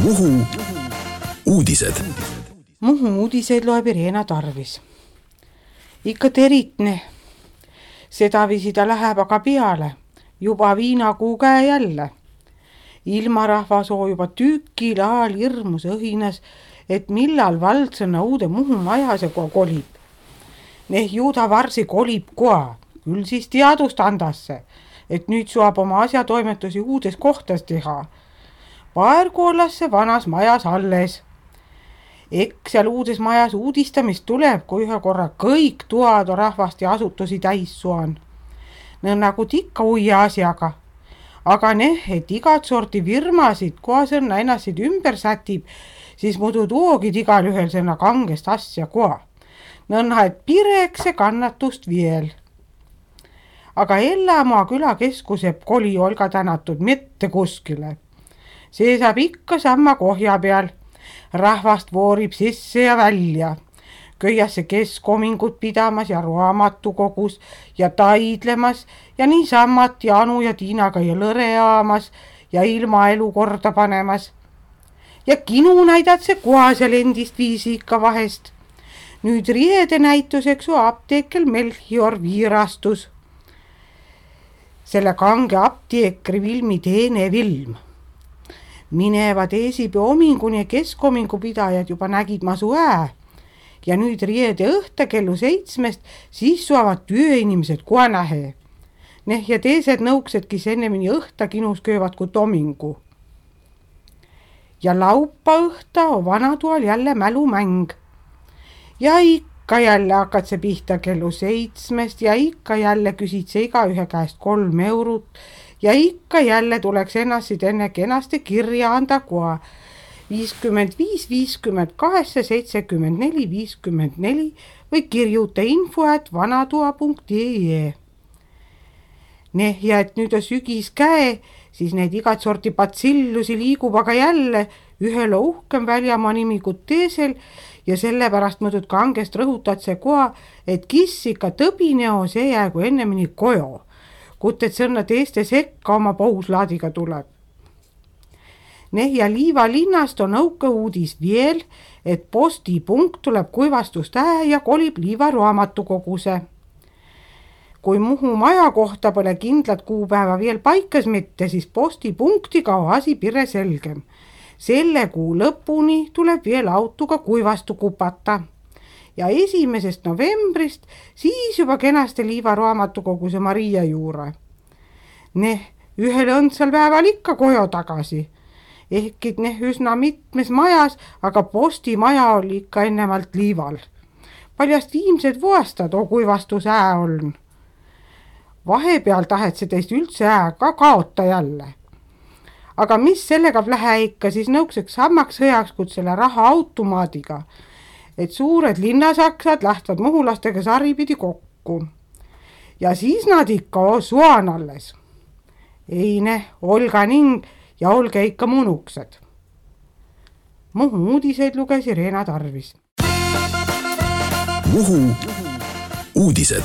Muhu uudised. Muhu uudiseid loeb Irena Tarvis. Ikka teritne. Sedaviisi ta läheb aga peale. Juba viinakuu käe jälle. Ilmarahva soo juba tükil aal hirmus õhinas, et millal valdsõna uude Muhu majase koa kolib. Neh juuda varsi kolib koa, küll siis teadust andasse, et nüüd saab oma asjatoimetusi uudes kohtas teha. Paergu ollas see vanas majas alles. Eks seal uudes majas uudistamist tuleb, kui ühe korra kõik tuad rahvast ja asutusi täis suan. Nagu tikka uia asjaga. Aga et igat sorti firmasid, koasõnna ennassid ümber sätib, siis muidu tuogid igal ühel sõna kangest asja koa. Et pireks see kannatust veel. Aga Ellamaa külakeskuse koli olga tänatud mitte kuskile. See saab ikka samma kohja peal. Rahvast voorib sisse ja välja. Köiasse keskomingut pidamas ja raamatukogus ja taidlemas ja niisammat Janu ja Tiinaga ja lõre aamas ja ilmaelu korda panemas. Ja kinu näidad see koha seal endist viisi ikka vahest. Nüüd riede näituseks apteekel Melchior viirastus. Selle kange apteekri Vilmi teene Vilm. Minevad eesipea ominguni ja keskomingu pidajad juba nägid masu ja nüüd riede õhta kellu 7 siis suavad tööinimesed kohe nähe. Ja teised nõuksedki ennemini õhta kinus köövad kui tomingu. Ja laupa õhta on vanatoal jälle mälumäng. Ja ikka jälle hakkad see pihta kellu 7 ja ikka jälle küsid see igaühe käest 3 eurot ja ikka jälle tuleks ennast enne kenasti kirja anda koha 55 58 74 54 või kirjuta info@vanatoa.ee. Ja et nüüd on sügis käe, siis need igat sorti patsillusi liigub aga jälle ühel uhkem väljamaa nimi kui teisel ja sellepärast mõõdud kangest rõhutad see koha, et kiss ikka tõbineo see jäägu ennemini kojo, kut et sõnna teiste sekka oma pouslaadiga tuleb. Ja Liiva linnast on õuke uudis veel, et postipunkt tuleb kuivastust ja kolib Liiva raamatukoguse. Kui Muhu maja kohta pole kindlat kuupäeva veel paikas mitte, siis postipunktiga on asi pire selgem. Selle kuu lõpuni tuleb veel autoga kuivastu kupata. Ja 1. novembrist siis juba kenasti Liiva raamatukoguse Maria juure. Ühel õndsal päeval ikka kojo tagasi. Ehkid üsna mitmes majas, aga postimaja oli ikka ennemalt Liival. Paljast viimsed vuostad on kuivastus on. Vahepeal tahet see teist üldse ka kaota jälle. Aga mis sellega lähe ikka, siis nõukseks sammaks sõjaks kui selle raha automaadiga, et suured linnasaksad lähtvad muhulastega saripidi kokku. Ja siis nad ikka suan alles. Olga ning ja olge ikka munuksed. Muhu uudiseid luges Irena Tarvis. Muhu uudised.